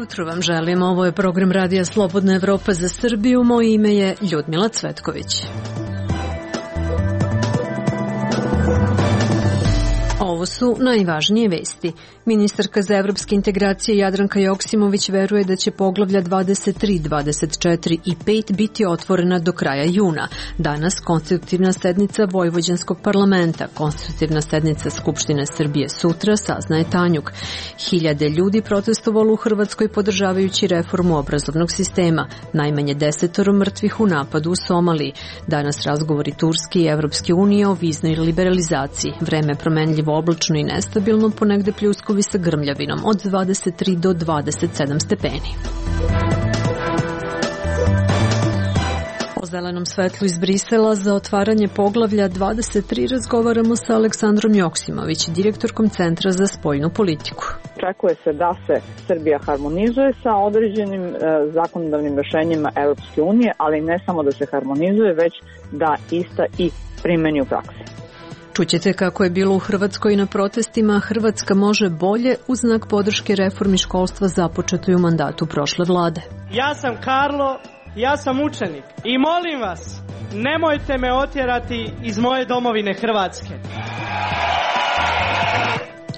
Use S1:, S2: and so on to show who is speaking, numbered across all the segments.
S1: Jutro vam želim, ovo je program Radija Slobodna Evropa za Srbiju, moje ime je Ljudmila Cvetković. Ovo su najvažnije vesti. Ministarka za evropske integracije Jadranka Joksimović veruje da će poglavlja 23, 24 i 5 biti otvorena do kraja juna. Danas konstitutivna sednica Vojvođanskog parlamenta, konstitutivna sednica Skupštine Srbije sutra, saznaje Tanjug. Hiljade ljudi protestovalo u Hrvatskoj podržavajući reformu obrazovnog sistema. Najmanje 10 mrtvih u napadu u Somaliji. Danas razgovori Turske i Evropske unije o viznoj liberalizaciji. Vreme promenljivo oblačno i nestabilno, ponegde pljuskovi sa grmljavinom od 23 do 27 stepeni. O zelenom svetlu iz Brisela za otvaranje poglavlja 23 razgovaramo sa Aleksandrom Joksimović, direktorkom Centra za spoljnu politiku.
S2: Očekuje se da se Srbija harmonizuje sa određenim zakonodavnim rešenjima Evropske unije, ali ne samo da se harmonizuje, već da ista i primeni u praksi.
S1: Čućete kako je bilo u Hrvatskoj na protestima Hrvatska može bolje u znak podrške reformi školstva započetoj u mandatu prošle vlade.
S3: Ja sam Karlo, ja sam učenik i molim vas, nemojte me otjerati iz moje domovine Hrvatske.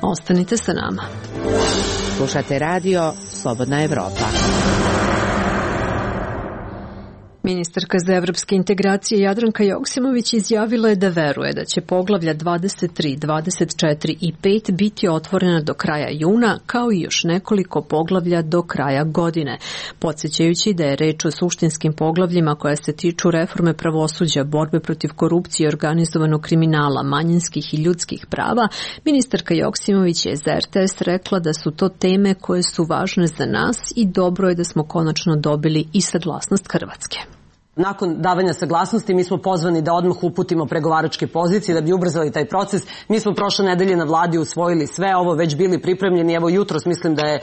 S1: Ostanite sa nama.
S4: Slušate radio Slobodna Evropa.
S1: Ministarka za evropske integracije Jadranka Joksimović izjavila je da veruje da će poglavlja 23, 24 i 5 biti otvorena do kraja juna, kao i još nekoliko poglavlja do kraja godine. Podsjećajući da je reč o suštinskim poglavljima koja se tiču reforme pravosuđa, borbe protiv korupcije i organizovanog kriminala, manjinskih i ljudskih prava, ministarka Joksimović je za RTS rekla da su to teme koje su važne za nas i dobro je da smo konačno dobili i saglasnost Hrvatske.
S5: Nakon davanja saglasnosti mi smo pozvani da odmah uputimo pregovaračke pozicije da bi ubrzali taj proces. Mi smo prošle nedelje na vladi usvojili sve ovo, već bili pripremljeni. Evo jutros mislim da je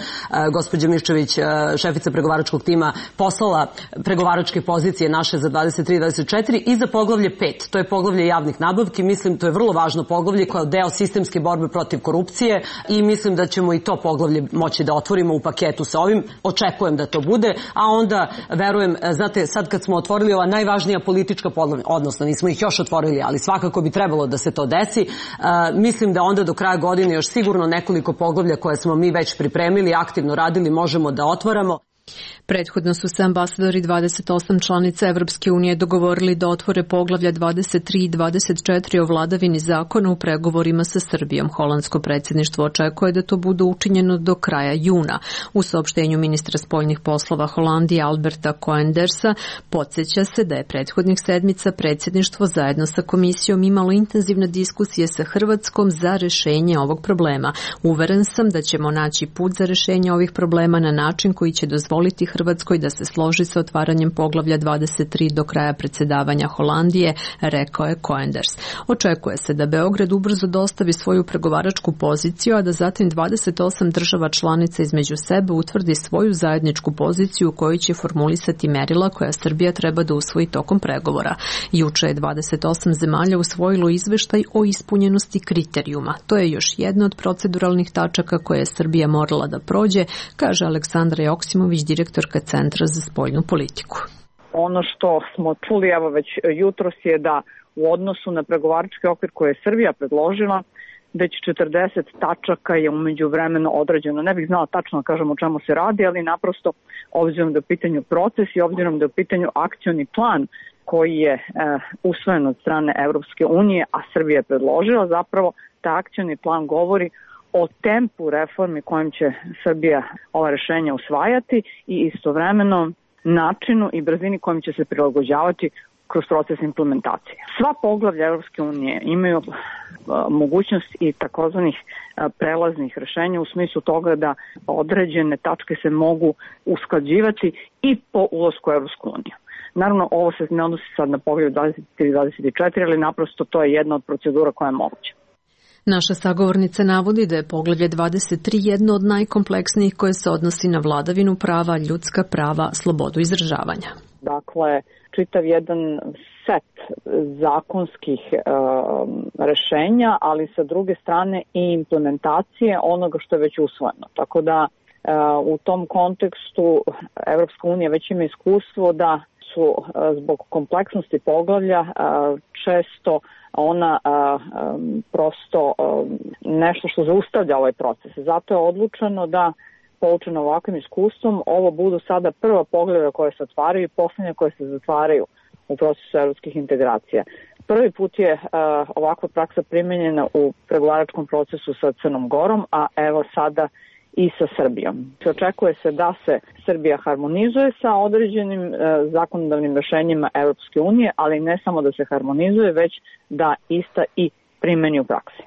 S5: gospođa Miščević, šefica pregovaračkog tima, poslala pregovaračke pozicije naše za 23 i 24 i za poglavlje 5. To je poglavlje javnih nabavki. Mislim to je vrlo važno poglavlje kao deo sistemske borbe protiv korupcije i mislim da ćemo i to poglavlje moći da otvorimo u paketu sa ovim. Očekujem da to bude, a onda verujem, znate, sad kad smo otvorili ova najvažnija politička poglavlja, odnosno nismo ih još otvorili, ali svakako bi trebalo da se to desi. Mislim da onda do kraja godine još sigurno nekoliko poglavlja koje smo mi već pripremili, aktivno radili, možemo da otvaramo.
S1: Prethodno su se ambasadori 28 članica Evropske unije dogovorili da otvore poglavlja 23 i 24 o vladavini zakona u pregovorima sa Srbijom. Holandsko predsjedništvo očekuje da to bude učinjeno do kraja juna. U saopštenju ministra spoljnih poslova Holandije Alberta Koendersa podsjeća se da je prethodnih sedmica predsjedništvo zajedno sa komisijom imalo intenzivne diskusije sa Hrvatskom za rešenje ovog problema. Uveren sam da ćemo naći put za rešenje ovih problema na način koji će dozvoliti Hrvatskoj da se složi sa otvaranjem poglavlja 23 do kraja predsjedavanja Holandije, rekao je Koenders. Očekuje se da Beograd ubrzo dostavi svoju pregovaračku poziciju, a da zatim 28 država članica između sebe utvrdi svoju zajedničku poziciju u kojoj će formulisati merila koja Srbija treba da usvoji tokom pregovora. Juče je 28 zemalja usvojilo izveštaj o ispunjenosti kriterijuma. To je još jedna od proceduralnih tačaka koje je Srbija morala da prođe, kaže Aleksandra Joksimović, direktorka Centra za spoljnu politiku.
S2: Ono što smo čuli evo već jutros je da u odnosu na pregovarački okvir koje je Srbija predložila, već 40 tačaka je umeđu vremenu određeno. Ne bih znala tačno da kažem o čemu se radi, ali naprosto obzirom da je u pitanju proces i obzirom da je u pitanju akcioni plan koji je usvojen od strane Evropske unije, a Srbija je predložila, zapravo taj akcioni plan govori o tempu reformi kojim će Srbija ova rešenja usvajati i istovremeno načinu i brzini kojim će se prilagođavati kroz proces implementacije. Sva poglavlja Evropske unije imaju mogućnost i takozvanih prelaznih rešenja u smislu toga da određene tačke se mogu usklađivati i po ulasku u Evropsku uniju. Naravno, ovo se ne odnosi sad na poglavlje 23 i 24, ali naprosto to je jedna od procedura koja je moguća.
S1: Naša sagovornica navodi da je poglavlje 23 jedno od najkompleksnijih koje se odnosi na vladavinu prava, ljudska prava, slobodu izražavanja.
S2: Dakle, čitav jedan set zakonskih rešenja, ali sa druge strane i implementacije onoga što je već usvojeno. Tako da u tom kontekstu Evropska unija već ima iskustvo da su zbog kompleksnosti poglavlja često ona prosto nešto što zaustavlja ovaj proces. Zato je odlučeno da, poučeno ovakvim iskustvom, ovo budu sada prva poglavlja koje se otvaraju i poslednja koje se zatvaraju u procesu evropskih integracija. Prvi put je ovakva praksa primenjena u pregovaračkom procesu sa Crnom Gorom, a evo sada i sa Srbijom. Očekuje se da se Srbija harmonizuje sa određenim zakonodavnim rešenjima Evropske unije, ali ne samo da se harmonizuje, već da ista i primeni u praksi.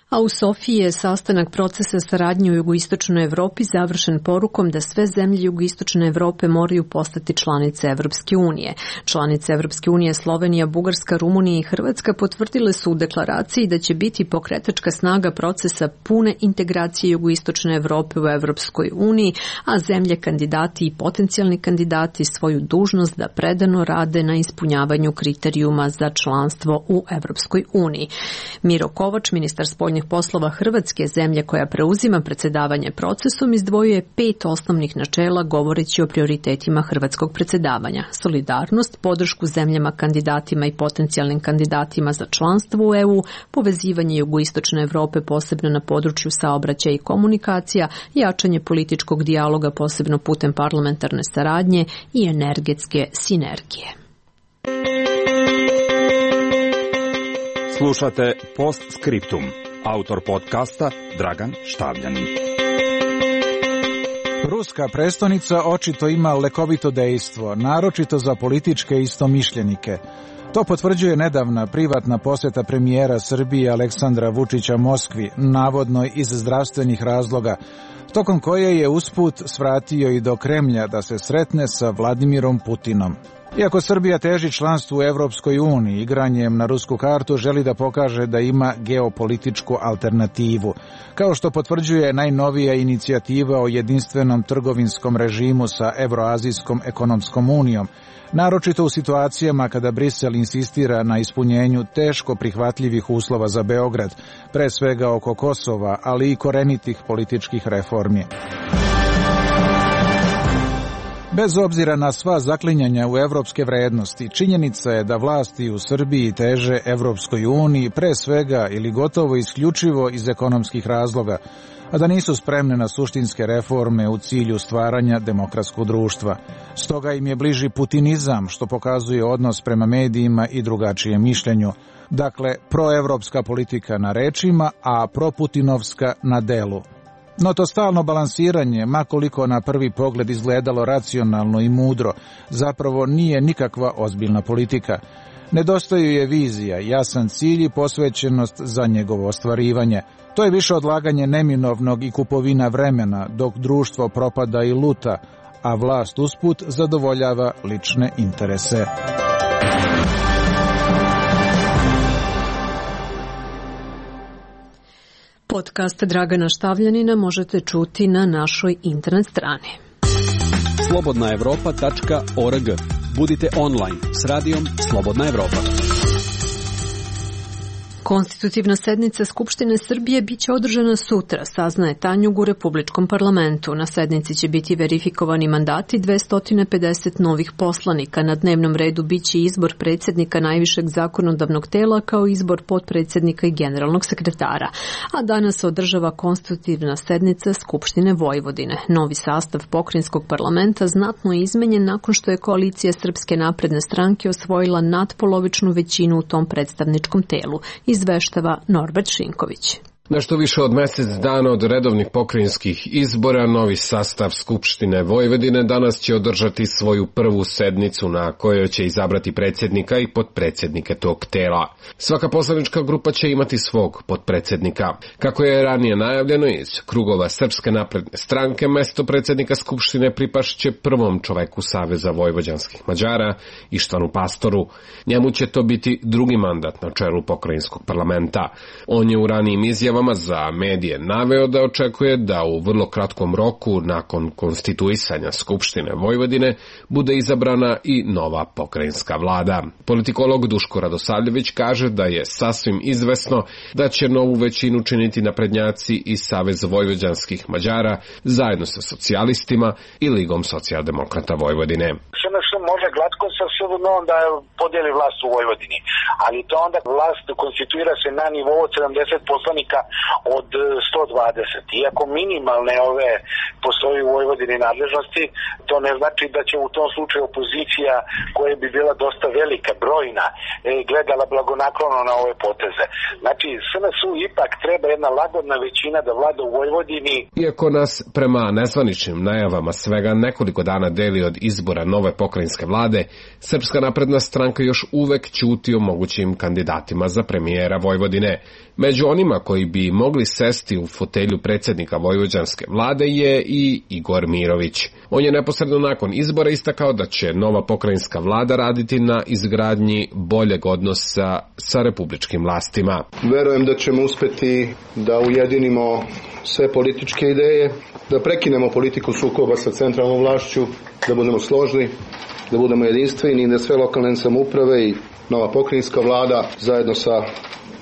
S1: A u Sofiji je sastanak procesa saradnje u jugoistočnoj Evropi završen porukom da sve zemlje jugoistočne Evrope moraju postati članice Evropske unije. Članice Evropske unije Slovenija, Bugarska, Rumunija i Hrvatska potvrdile su u deklaraciji da će biti pokretačka snaga procesa pune integracije jugoistočne Evrope u Evropskoj uniji, a zemlje kandidati i potencijalni kandidati svoju dužnost da predano rade na ispunjavanju kriterijuma za članstvo u Evropskoj uniji. Miro Kovač, ministar spoljnih poslova Hrvatske, zemlje koja preuzima predsjedavanje procesom, izdvojio je 5 osnovnih načela govoreći o prioritetima hrvatskog predsjedavanja: solidarnost, podršku zemljama kandidatima i potencijalnim kandidatima za članstvo u EU, povezivanje jugoistočne Evrope posebno na području saobraćaja i komunikacija, jačanje političkog dijaloga posebno putem parlamentarne saradnje i energetske sinergije.
S6: Slušate Postscriptum. Autor podcasta Dragan Štavljanin.
S7: Ruska prestonica očito ima lekovito dejstvo, naročito za političke istomišljenike. To potvrđuje nedavna privatna posjeta premijera Srbije Aleksandra Vučića Moskvi, navodno iz zdravstvenih razloga, tokom koje je usput svratio i do Kremlja da se sretne sa Vladimirom Putinom. Iako Srbija teži članstvu u Evropskoj uniji, igranjem na rusku kartu želi da pokaže da ima geopolitičku alternativu, kao što potvrđuje najnovija inicijativa o jedinstvenom trgovinskom režimu sa Evroazijskom ekonomskom unijom, naročito u situacijama kada Brisel insistira na ispunjenju teško prihvatljivih uslova za Beograd, pre svega oko Kosova, ali i korenitih političkih reformi. Bez obzira na sva zaklinjanja u evropske vrednosti, činjenica je da vlasti u Srbiji teže Evropskoj uniji pre svega ili gotovo isključivo iz ekonomskih razloga, a da nisu spremne na suštinske reforme u cilju stvaranja demokratskog društva. Stoga im je bliži putinizam, što pokazuje odnos prema medijima i drugačijem mišljenju. Dakle, proevropska politika na rečima, a proputinovska na delu. No to stalno balansiranje, makoliko na prvi pogled izgledalo racionalno i mudro, zapravo nije nikakva ozbiljna politika. Nedostaju je vizija, jasan cilj i posvećenost za njegovo ostvarivanje. To je više odlaganje neminovnog i kupovina vremena, dok društvo propada i luta, a vlast usput zadovoljava lične interese.
S1: Podcast Dragana Štavljanina možete čuti na našoj internet strani.
S8: slobodnaevropa.org. Budite online s radijom Slobodna Evropa.
S1: Konstitutivna sednica Skupštine Srbije biće održana sutra, saznaje Tanjug u Republičkom parlamentu. Na sednici će biti verifikovani mandati 250 novih poslanika. Na dnevnom redu biće izbor predsjednika najvišeg zakonodavnog tela kao izbor potpredsjednika i generalnog sekretara. A danas se održava konstitutivna sednica Skupštine Vojvodine. Novi sastav pokrajinskog parlamenta znatno je izmenjen nakon što je koalicija Srpske napredne stranke osvojila nadpolovičnu većinu u tom predstavničkom telu, izveštava Norbert Šinković.
S9: Nešto više od mjesec dana od redovnih pokrajinskih izbora, novi sastav Skupštine Vojvodine danas će održati svoju prvu sednicu na kojoj će izabrati predsjednika i potpredsjednike tog tela. Svaka poslanička grupa će imati svog potpredsjednika. Kako je ranije najavljeno iz krugova Srpske napredne stranke, mesto predsjednika Skupštine pripašće prvom čoveku Saveza vojvođanskih Mađara, Ištvanu Pastoru. Njemu će to biti drugi mandat na čelu pokrajinskog parlamenta. On je u ranijim izjavama za medije naveo da očekuje da u vrlo kratkom roku nakon konstituisanja Skupštine Vojvodine bude izabrana i nova pokrajinska vlada. Politikolog Duško Radosavljević kaže da je sasvim izvesno da će novu većinu činiti naprednjaci i Savez vojvođanskih Mađara zajedno sa socijalistima i Ligom socijaldemokrata Vojvodine.
S10: SNS može glatko sa sobom da podijeli vlast u Vojvodini, ali to onda vlast konstituira se na nivou od 70 poslanika od 120. Iako minimalne ove postoji u Vojvodini nadležnosti, to ne znači da će u tom slučaju opozicija, koja bi bila dosta velika, brojna, gledala blagonaklono na ove poteze. Znači, SNS-u ipak treba jedna lagodna većina da vlada u Vojvodini.
S9: Iako nas prema nezvaničnim najavama svega nekoliko dana deli od izbora nove pokrajinske vlade, Srpska napredna stranka još uvek ćuti o mogućim kandidatima za premijera Vojvodine. Među onima koji bi mogli sesti u fotelju predsjednika vojvođanske vlade je i Igor Mirović. On je neposredno nakon izbora istakao da će nova pokrajinska vlada raditi na izgradnji boljeg odnosa sa republičkim vlastima.
S11: Verujem da ćemo uspeti da ujedinimo sve političke ideje, da prekinemo politiku sukoba sa centralnom vlašću, da budemo složni, da budemo jedinstveni i da sve lokalne samouprave i nova pokrajinska vlada zajedno sa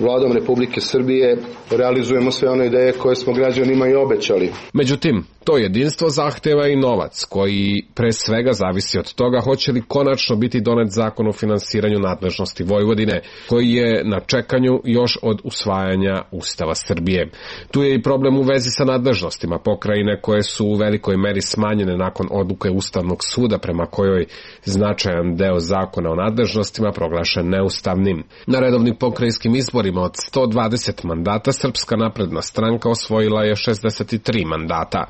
S11: Vladom Republike Srbije realizujemo sve one ideje koje smo građanima i obećali.
S9: Međutim, to jedinstvo zahteva i novac, koji pre svega zavisi od toga hoće li konačno biti donet zakon o finansiranju nadležnosti Vojvodine, koji je na čekanju još od usvajanja Ustava Srbije. Tu je i problem u vezi sa nadležnostima pokrajine, koje su u velikoj meri smanjene nakon odluke Ustavnog suda prema kojoj značajan deo zakona o nadležnostima proglašen neustavnim. Na redovnim pokrajinskim izborima od 120 mandata Srpska napredna stranka osvojila je 63 mandata.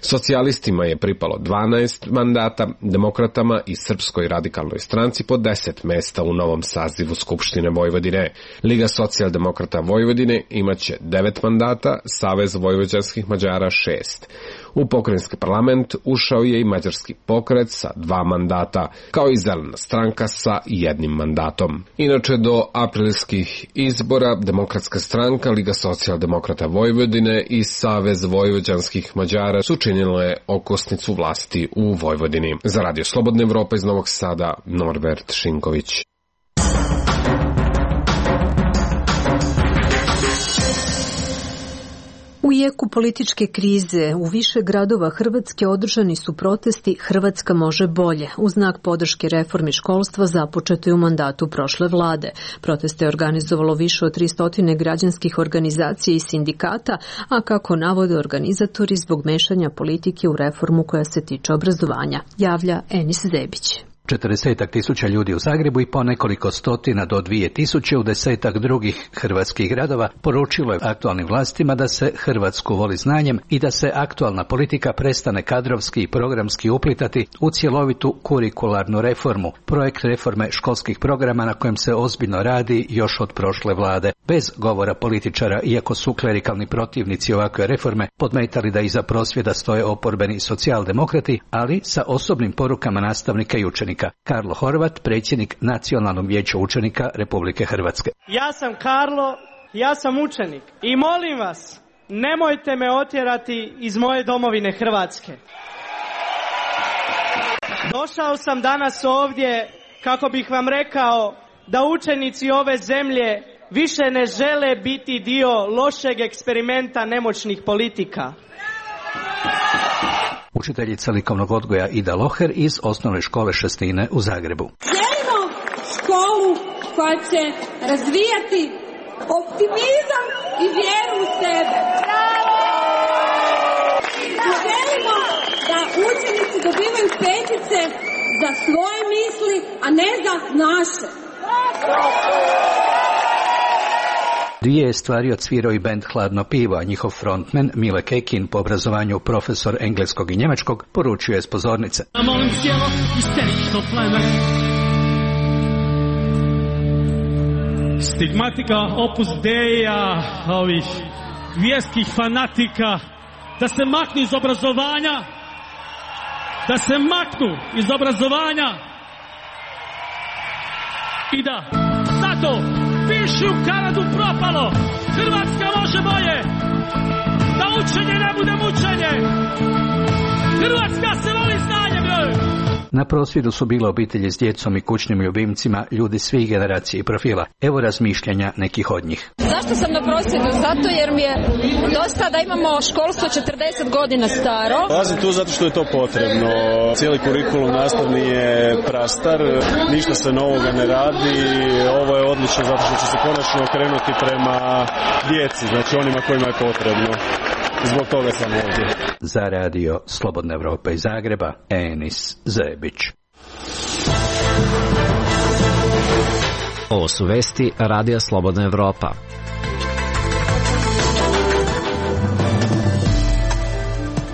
S9: Socijalistima je pripalo 12 mandata, demokratama i Srpskoj radikalnoj stranci po 10 mesta u novom sazivu Skupštine Vojvodine. Liga socijaldemokrata Vojvodine imaće 9 mandata, Savez vojvođanskih Mađara 6. U pokrajinski parlament ušao je i mađarski pokret sa 2 mandata, kao i zelena stranka sa 1 mandatom. Inače, do aprilskih izbora Demokratska stranka, Liga socijaldemokrata Vojvodine i Savez vojvođanskih Mađara su činile okosnicu vlasti u Vojvodini. Za Radio Slobodna Evropa iz Novog Sada, Norbert Šinković.
S1: U jeku političke krize u više gradova Hrvatske održani su protesti Hrvatska može bolje, u znak podrške reformi školstva započete u mandatu prošle vlade. Proteste je organizovalo više od 300 građanskih organizacija i sindikata, a kako navode organizatori zbog mešanja politike u reformu koja se tiče obrazovanja, javlja Enis Zebić.
S12: 40.000 ljudi u Zagrebu i po nekoliko stotina do 2.000 u 10 drugih hrvatskih gradova poručilo je aktualnim vlastima da se Hrvatsku voli znanjem i da se aktualna politika prestane kadrovski i programski uplitati u cjelovitu kurikularnu reformu, projekt reforme školskih programa na kojem se ozbiljno radi još od prošle vlade. Bez govora političara, iako su klerikalni protivnici ovakve reforme podmetali da iza prosvjeda stoje oporbeni socijaldemokrati, ali sa osobnim porukama nastavnika i učenika. Karlo Horvat, predsjednik Nacionalnog vijeća učenika Republike Hrvatske.
S3: Ja sam Karlo, ja sam učenik i molim vas, nemojte me otjerati iz moje domovine Hrvatske. Došao sam danas ovdje kako bih vam rekao da učenici ove zemlje više ne žele biti dio lošeg eksperimenta nemoćnih politika.
S12: Učiteljica likovnog odgoja Ida Loher iz osnovne škole Šestine u Zagrebu.
S13: Želimo školu koja će razvijati optimizam i vjeru u sebe. Želimo da učenici dobivaju petice za svoje misli, a ne za naše.
S12: Dvije je stvari odsvirao i bend Hladno pivo, a njihov frontman Mile Kekin, po obrazovanju profesor engleskog i njemačkog, poručio je s pozornice.
S14: Molim cijelo isterično pleme. Stigmatika Opus Deia, ovih vjerskih fanatika, da se maknu iz obrazovanja, da se maknu iz obrazovanja i da zato piši u Kanadu propalo, Hrvatska može bolje, da učenje ne bude mučenje, Hrvatska se voli znanjem, joj!
S12: Na prosvjedu su bile obitelji s djecom i kućnim ljubimcima, ljudi svih generacija i profila. Evo razmišljanja nekih od njih.
S15: Zašto sam na prosvjedu? Zato jer mi je dosta da imamo školstvo 40 godina staro.
S16: Dolazim tu zato što je to potrebno. Cijeli kurikulum nastavni je prastar, ništa se novoga ne radi. Ovo je odlično zato što će se konačno okrenuti prema djeci, znači onima kojima je potrebno. Zbog toga sam ovdje.
S12: Za radio Slobodna Evropa iz Zagreba, Enis Zebić.
S17: Ovo su vesti Radija Slobodna Evropa.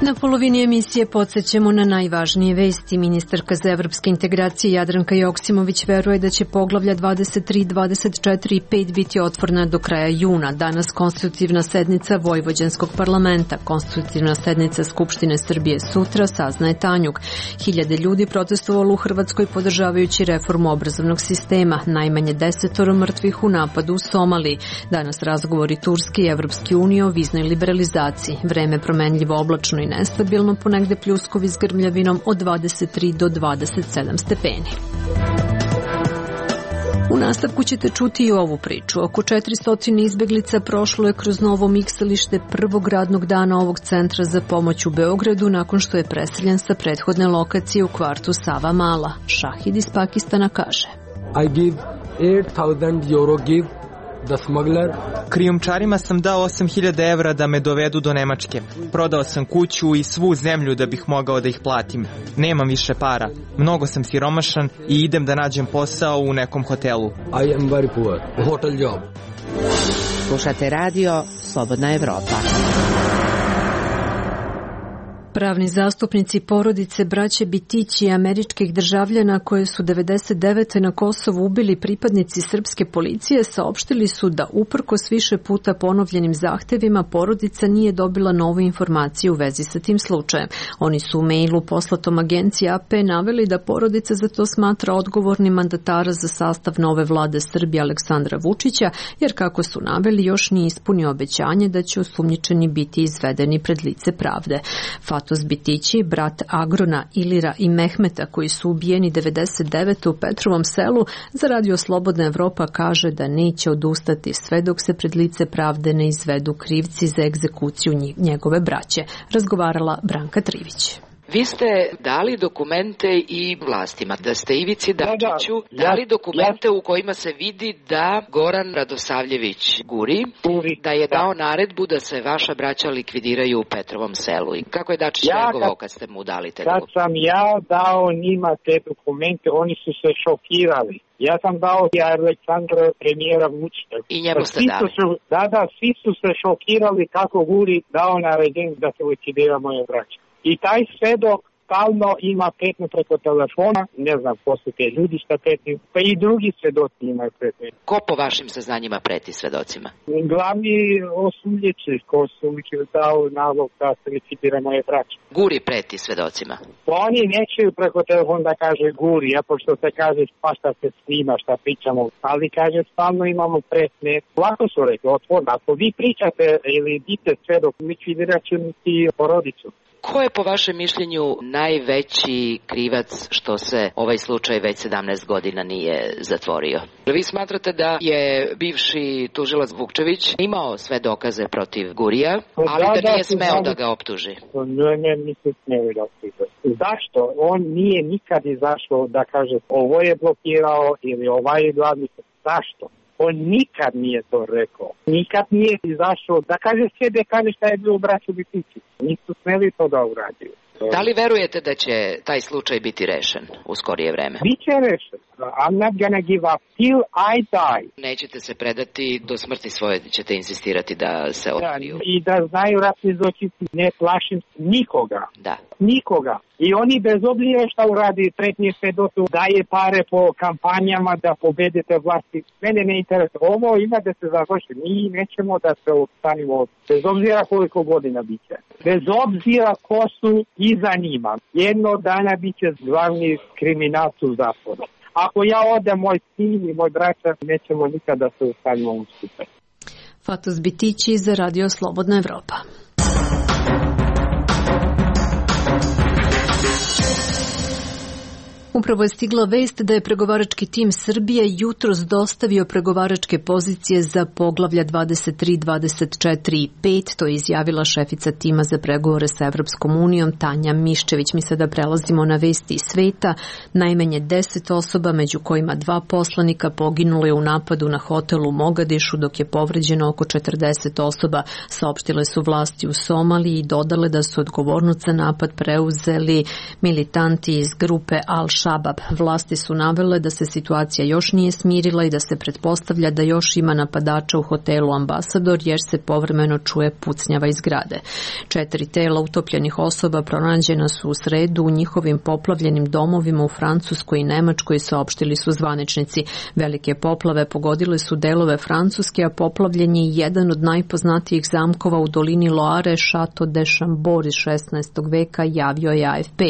S1: Na polovini emisije podsjećamo na najvažnije vesti. Ministarka za evropske integracije Jadranka Joksimović veruje da će poglavlja 23, 24 i 5 biti otvorena do kraja juna. Danas konstitutivna sednica Vojvođanskog parlamenta. Konstitutivna sednica Skupštine Srbije sutra, saznaje Tanjug. Hiljade ljudi protestovalo u Hrvatskoj podržavajući reformu obrazovnog sistema. Najmanje 10 mrtvih u napadu u Somaliji. Danas razgovori Turske i Evropske unije o viznoj liberalizaciji. Vreme promenljivo, oblačno i nestabilno, ponegde pljuskovi s grmljavinom od 23 do 27 stepeni. U nastavku ćete čuti i ovu priču. Oko 400 izbeglica prošlo je kroz novo miksalište prvog radnog dana ovog centra za pomoć u Beogradu nakon što je preseljen sa prethodne lokacije u kvartu Sava Mala. Šahid iz Pakistana kaže:
S18: I give 8,000 euro gift.
S19: Krijumčarima sam dao 8.000 evra da me dovedu do Nemačke. Prodao sam kuću i svu zemlju da bih mogao da ih platim. Nemam više para. Mnogo sam siromašan i idem da nađem posao u nekom hotelu.
S18: I am very poor. Hotel job.
S4: Slušate radio Slobodna Evropa.
S1: Pravni zastupnici porodice braće Bitići i američkih državljana koje su 99. na Kosovu ubili pripadnici srpske policije saopštili su da uprkos više puta ponovljenim zahtevima porodica nije dobila novu informaciju u vezi sa tim slučajem. Oni su u mailu poslatom agenciji AP naveli da porodica za to smatra odgovornim mandatara za sastav nove vlade Srbije Aleksandra Vučića, jer kako su naveli još nije ispunio obećanje da će osumnjičeni biti izvedeni pred lice pravde. Fatos Bitići, brat Agrona, Ilira i Mehmeta koji su ubijeni 99. u Petrovom selu, za radio Slobodna Evropa kaže da neće odustati sve dok se pred lice pravde ne izvedu krivci za egzekuciju njegove braće. Razgovarala Branka Trivić.
S20: Vi ste dali dokumente i vlastima, da ste Ivici Dačiću dali dokumente u kojima se vidi da Goran Radosavljević Guri, da je dao naredbu da se vaša braća likvidiraju u Petrovom selu. I kako je Dačić reagovao kad ste mu dali te dokumente?
S21: Kad sam ja dao njima te dokumente, oni su se šokirali. Ja sam dao i Aleksandra premijera Vučića.
S20: I njemu ste dali?
S21: Svi su se šokirali kako Guri dao naređenje da se likvidira moje braće. I taj svedok stalno ima pretnje preko telefona, ne znam ko su te ljudi šta pretnje, pa i drugi svedoci imaju pretnje.
S20: Ko po vašim saznanjima preti svedocima?
S21: Glavni osumnjiči ko su dao nalog da se likvidira moje braće.
S20: Guri preti svedocima?
S21: Oni nećeju preko telefona da kaže Guri, a pošto se kaže pa šta se snima, šta pričamo, ali kaže stalno imamo pretnje. Lako su rekli, otvorno, ako vi pričate ili dite svedok, likvidirat ću ti porodicu.
S20: Ko je po vašem mišljenju najveći krivac što se ovaj slučaj već 17 godina nije zatvorio? Vi smatrate da je bivši tužilac Vukčević imao sve dokaze protiv Gurija, ali da nije smeo da ga optuži?
S21: Ne, nisu smeli da optuže. Zašto? On nije nikad izašao da kaže ovo je blokirao ili ovaj je glavni. Zašto? On nikad nije to rekao. Nikad nije izašao da kaže sve da kaže šta je bilo u braću Bitići. Nisu smeli to da uradio.
S20: Da li verujete da će taj slučaj biti rešen u skorije vreme?
S21: Biće rešen. I'm not gonna give up till I die.
S20: Nećete se predati, do smrti svoje ćete insistirati da se otkriju.
S21: I da znaju ratni zločinci, ne plašim nikoga.
S20: Da.
S21: Nikoga. I oni bez obzira šta uradi pretnje svedotu, daje pare po kampanjama da pobedite vlasti. Mene ne interesuje. Ovo ima da se završi. Mi nećemo da se ostanimo bez obzira koliko godina biće. Bez obzira ko su iza njima. Jedno dana biće glavni kriminalci u zatvoru. Ako ja odem, moj sin i moj braća, nećemo nikada da se ostanimo u skupe.
S1: Fatos Bitići za Radio Slobodna Evropa. Upravo je stigla vest da je pregovarački tim Srbije jutros dostavio pregovaračke pozicije za poglavlja 23, 24 i 5. To je izjavila šefica tima za pregovore sa Evropskom unijom Tanja Miščević. Mi sada prelazimo na vesti iz sveta. Najmanje 10 osoba, među kojima 2 poslanika, poginulo je u napadu na hotel u Mogadišu, dok je povređeno oko 40 osoba. Saopštile su vlasti u Somaliji i dodale da su odgovornost za napad preuzeli militanti iz grupe Al-Shabaab. Vlasti su navele da se situacija još nije smirila i da se pretpostavlja da još ima napadača u hotelu Ambasador, jer se povremeno čuje pucnjava iz zgrade. 4 tela utopljenih osoba pronađena su u sredu u njihovim poplavljenim domovima u Francuskoj i Nemačkoj, saopštili su zvaničnici. Velike poplave pogodile su delove Francuske, a poplavljen je jedan od najpoznatijih zamkova u dolini Loare, Chateau de Chambord iz 16. veka, javio je AFP.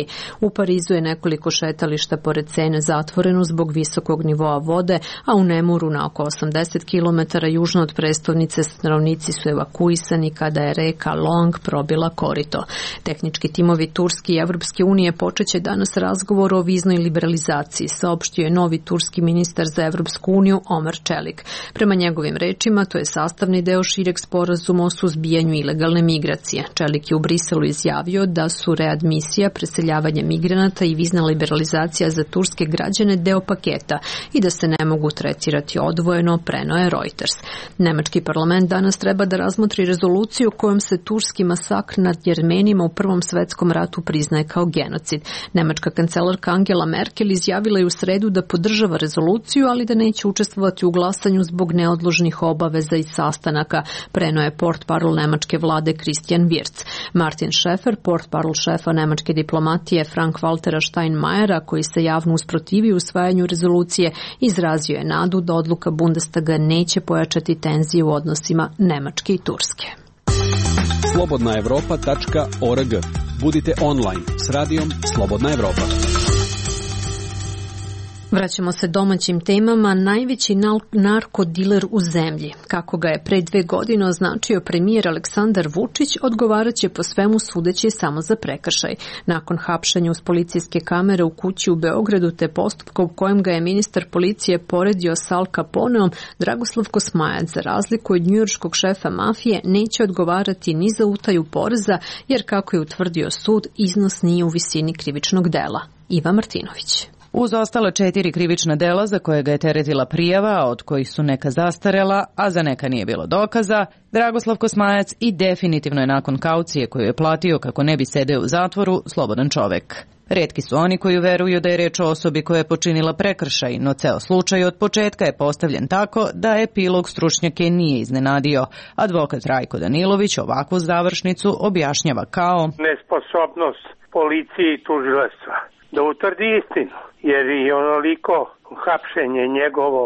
S1: U Parizu je nekoliko šetališta pored Sene zatvoreno zbog visokog nivoa vode, a u Nemuru na oko 80 km južno od prestolnice stanovnici su evakuisani kada je reka Long probila korito. Tehnički timovi Turske i Evropske unije počeće danas razgovor o viznoj liberalizaciji, saopštio je novi turski ministar za Evropsku uniju Omer Čelik. Prema njegovim rečima, to je sastavni deo šireg sporazuma o suzbijanju ilegalne migracije. Čelik je u Briselu izjavio da su readmisija, preseljavanje migranata i vizna liberalizacija za turske građane deo paketa i da se ne mogu tretirati odvojeno, preneo je Reuters. Nemački parlament danas treba da razmotri rezoluciju kojom se turski masakr nad Jermenima u Prvom svetskom ratu priznaje kao genocid. Nemačka kancelarka Angela Merkel izjavila je u sredu da podržava rezoluciju, ali da neće učestvovati u glasanju zbog neodložnih obaveza i sastanaka, preneo je portparol nemačke vlade Christian Wirtz. Martin Schäfer, portparol šefa nemačke diplomatije Frank-Waltera Steinmeiera, koji se javno usprotivio usvajanju rezolucije, izrazio je nadu da odluka Bundestaga neće pojačati tenzije u odnosima Nemačke i Turske.
S8: slobodnaevropa.org. Budite online s radijom Slobodna Evropa.
S1: Vraćamo se domaćim temama. Najveći narkodiler u zemlji, kako ga je pre 2 godine označio premijer Aleksandar Vučić, odgovaraće po svemu sudeći samo za prekršaj. Nakon hapšenja uz policijske kamere u kući u Beogradu te postupka u kojem ga je ministar policije poredio sa Al Caponeom, Dragoslav Kosmajac, za razliku od njujorškog šefa mafije, neće odgovarati ni za utaju poreza, jer kako je utvrdio sud, iznos nije u visini krivičnog dela. Iva Martinović.
S5: Uz ostala 4 krivična dela za koje ga je teretila prijava, od kojih su neka zastarela, a za neka nije bilo dokaza, Dragoslav Kosmajac i definitivno je nakon kaucije koju je platio kako ne bi sedeo u zatvoru slobodan čovek. Retki su oni koji veruju da je reč o osobi koja je počinila prekršaj, no ceo slučaj od početka je postavljen tako da epilog stručnjake nije iznenadio. Advokat Rajko Danilović ovakvu završnicu objašnjava kao
S22: nesposobnost policije i tužilaštva da utvrdi istinu, jer i onoliko hapšenje njegovo,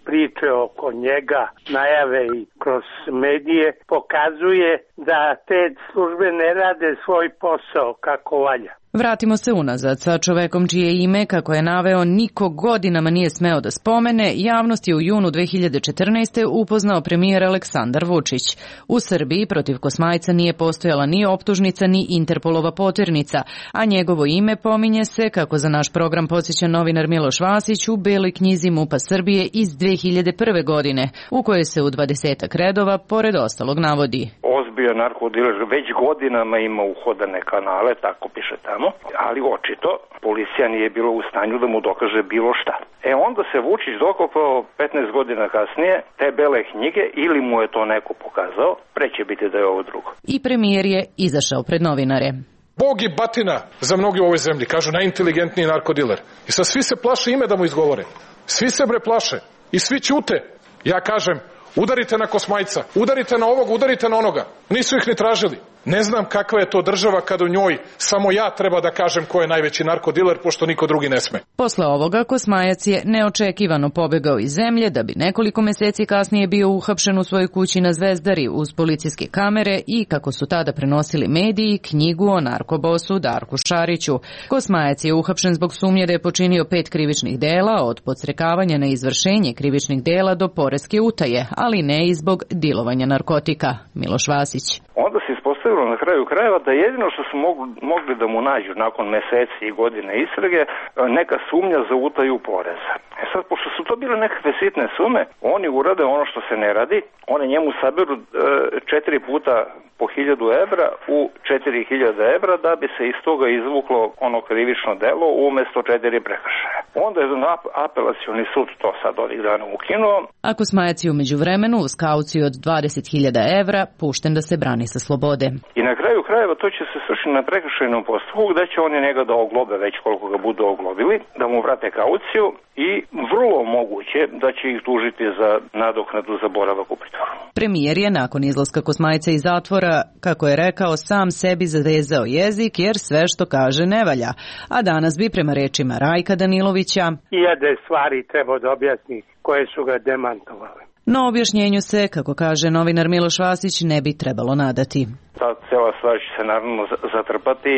S22: priče oko njega, najave i kroz medije pokazuje da te službe ne rade svoj posao kako valja.
S5: Vratimo se unazad. Sa čovekom čije ime, kako je naveo, niko godinama nije smeo da spomene, javnost je u junu 2014. upoznao premijer Aleksandar Vučić. U Srbiji protiv Kosmajca nije postojala ni optužnica ni Interpolova poternica, a njegovo ime pominje se, kako za naš program podsjeća novinar Miloš Vasić, u Beloj knjizi MUP-a Srbije iz 2001. godine, u kojoj se u 20 redova, pored ostalog, navodi:
S23: ozbiljan narkodiler već godinama ima uhodane kanale, tako piše tamo, ali očito policija nije bila u stanju da mu dokaže bilo šta. Onda se Vučić dokopao 15 godina kasnije te bele knjige, ili mu je to neko pokazao, pre će biti da je ovo drugo.
S5: I premijer je izašao pred novinare.
S2: Bog i batina za mnogi u ovoj zemlji, kažu najinteligentniji narkodiler. I sad svi se plaše ime da mu izgovore. Svi se bre plaše i svi ćute. Ja kažem, udarite na Kosmajca, udarite na ovog, udarite na onoga. Nisu ih ni tražili. Ne znam kakva je to država kada u njoj samo ja treba da kažem ko je najveći narkodiler, pošto niko drugi ne sme.
S5: Posle ovoga Kosmajac je neočekivano pobegao iz zemlje da bi nekoliko meseci kasnije bio uhapšen u svojoj kući na Zvezdari uz policijske kamere i, kako su tada prenosili mediji, knjigu o narkobosu Darku Šariću. Kosmajac je uhapšen zbog sumnje da je počinio 5 krivičnih dela, od podstrekavanja na izvršenje krivičnih dela do poreske utaje, ali ne i zbog dilovanja narkotika. Miloš Vasić.
S23: Onda se ispostavilo na kraju krajeva da jedino što su mogli da mu nađu nakon meseci i godine istrage neka sumnja za utaju poreza. E sad, pošto su to bile nekakve sitne sume, oni urade ono što se ne radi, oni njemu saberu 4 puta po 1000 evra u 4000 evra da bi se iz toga izvuklo ono krivično delo umesto 4 prekršaja. Onda je apelacioni sud to sad ovih dana ukinuo.
S5: A Kosmajac je umeđu vremenu uz kauciju od 20.000 evra pušten da se brani sa slobode.
S23: I na kraju krajeva to će se svršiti na prekršajnom postupku gde će oni njega da oglobe već koliko ga budu oglobili, da mu vrate kauciju i vrlo moguće da će ih tužiti za nadoknadu za boravak u pritvoru.
S5: Premijer je nakon izlaska Kosmajca iz zatvora, kako je rekao, sam sebi zavezao jezik jer sve što kaže ne valja. A danas bi, prema rečima Rajka Danilovića,
S22: hiljade stvari treba da objasni koje su ga demantovale.
S5: No objašnjenju se, kako kaže novinar Miloš Vasić, ne bi trebalo nadati.
S23: Ta cela stvar će se naravno zatrpati,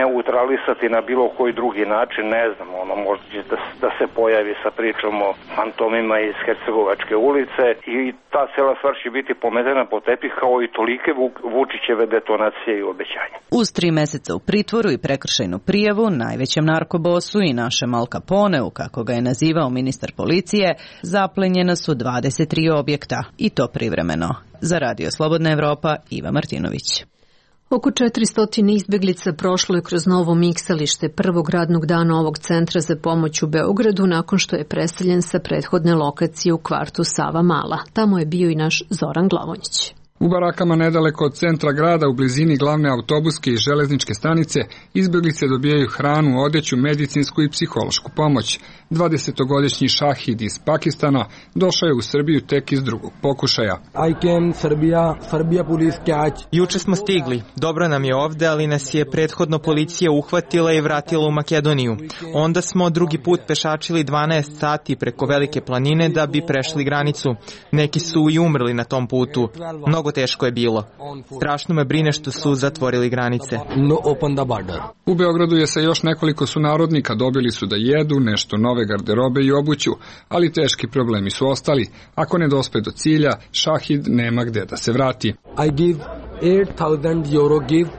S23: neutralisati na bilo koji drugi način, ne znam, ono možda će da se pojavi sa pričom o fantomima iz Hercegovačke ulice i ta cela stvar će biti pometena po tepih kao i tolike Vučićeve detonacije i obećanja.
S5: Uz 3 meseca u pritvoru i prekršajnu prijavu, najvećem narkobosu i našem Al Caponeu, kako ga je nazivao ministar policije, zaplenjena su 23 objekta, i to privremeno. Za Radio Slobodna Evropa, Iva Martinović.
S1: Oko 400 izbeglica prošlo je kroz novo miksalište prvog radnog dana ovog centra za pomoć u Beogradu nakon što je preseljen sa prethodne lokacije u kvartu Sava Mala. Tamo je bio i naš Zoran Glavonjić.
S6: U barakama nedaleko od centra grada, u blizini glavne autobuske i železničke stanice, izbeglice dobijaju hranu, odeću, medicinsku i psihološku pomoć. 20-godišnji Šahid iz Pakistana došao je u Srbiju tek iz drugog pokušaja.
S19: Juče smo stigli. Dobro nam je ovde, ali nas je prethodno policija uhvatila i vratila u Makedoniju. Onda smo drugi put pešačili 12 sati preko Velike planine da bi prešli granicu. Neki su i umrli na tom putu. Mnogo teško je bilo. Strašno me brine što su zatvorili granice.
S6: U Beogradu je sa još nekoliko sunarodnika, dobili su da jedu, nešto nove garderobe i obuću, ali teški problemi su ostali. Ako ne dospe do cilja, Šahid nema gde da se vrati.
S18: I give 8,000 euro give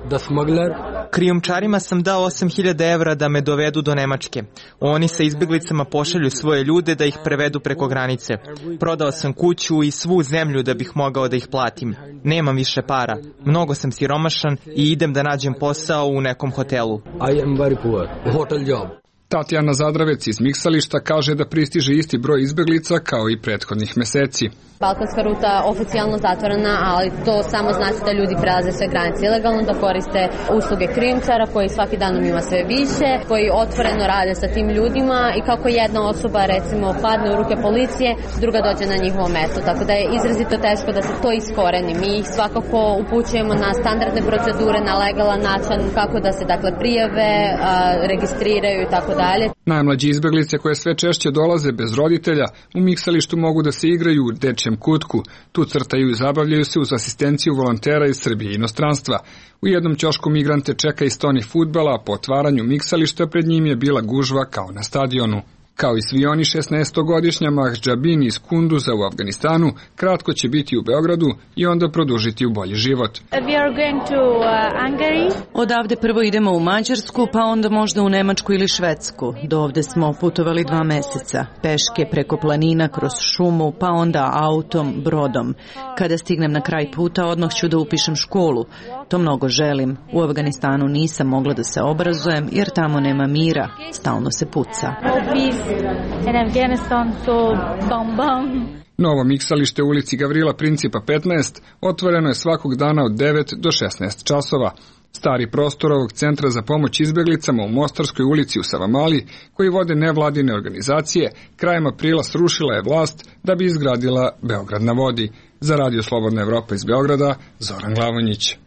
S18: the smuggler.
S19: Krijumčarima sam dao 8.000 evra da me dovedu do Nemačke. Oni sa izbeglicama pošalju svoje ljude da ih prevedu preko granice. Prodao sam kuću i svu zemlju da bih mogao da ih platim. Nemam više para. Mnogo sam siromašan i idem da nađem posao u nekom hotelu.
S18: I am very poor. Hotel job.
S6: Tatjana Zadravec iz miksališta kaže da pristiže isti broj izbeglica kao i prethodnih meseci.
S7: Balkanska ruta oficijalno zatvorena, ali to samo znači da ljudi prelaze sve granice ilegalno, da koriste usluge krijumčara koji svaki dan ima sve više, koji otvoreno rade sa tim ljudima i kako jedna osoba recimo padne u ruke policije, druga dođe na njihovo mesto, tako da je izrazito teško da se to iskoreni. Mi ih svakako upućujemo na standardne procedure, na legalan način, kako da se dakle prijave, registriraju i tako dalje.
S6: Najmlađi izbeglice koje sve češće dolaze bez roditelja u miksalištu mogu da se igraju u dečjem kutku. Tu crtaju i zabavljaju se uz asistenciju volontera iz Srbije i inostranstva. U jednom ćošku migrante čeka i stoni fudbala, a po otvaranju miksališta pred njim je bila gužva kao na stadionu. Kao i svi oni, 16-godišnja Mahđabin iz Kunduza u Afganistanu kratko će biti u Beogradu i onda produžiti u bolji život.
S5: Odavde prvo idemo u Mađarsku, pa onda možda u Nemačku ili Švedsku. Do ovde smo putovali 2 meseca. Peške preko planina, kroz šumu, pa onda autom, brodom. Kada stignem na kraj puta, odmah ću da upišem školu. To mnogo želim. U Afganistanu nisam mogla da se obrazujem jer tamo nema mira. Stalno se puca.
S6: Novo miksalište u ulici Gavrila Principa 15 otvoreno je svakog dana od 9 do 16 časova. Stari prostor ovog centra za pomoć izbeglicama u Mostarskoj ulici u Savamali, koji vode nevladine organizacije, krajem aprila srušila je vlast da bi izgradila Beograd na vodi. Za Radio Slobodna Evropa iz Beograda, Zoran Glavonjić.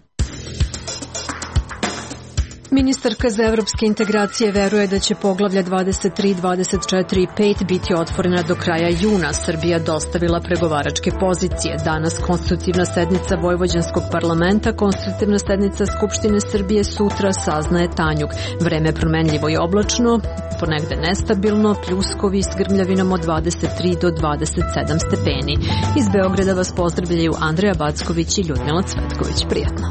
S1: Ministarka za evropske integracije veruje da će poglavlja 23, 24 i 5 biti otvorena do kraja juna. Srbija dostavila pregovaračke pozicije. Danas konstitutivna sednica Vojvođanskog parlamenta, konstitutivna sednica Skupštine Srbije sutra, saznaje Tanjug. Vreme promenljivo i oblačno, ponegde nestabilno, pljuskovi s grmljavinom od 23 do 27 stepeni. Iz Beograda vas pozdravljaju Andreja Backović i Ljudmila Cvetković. Prijatno.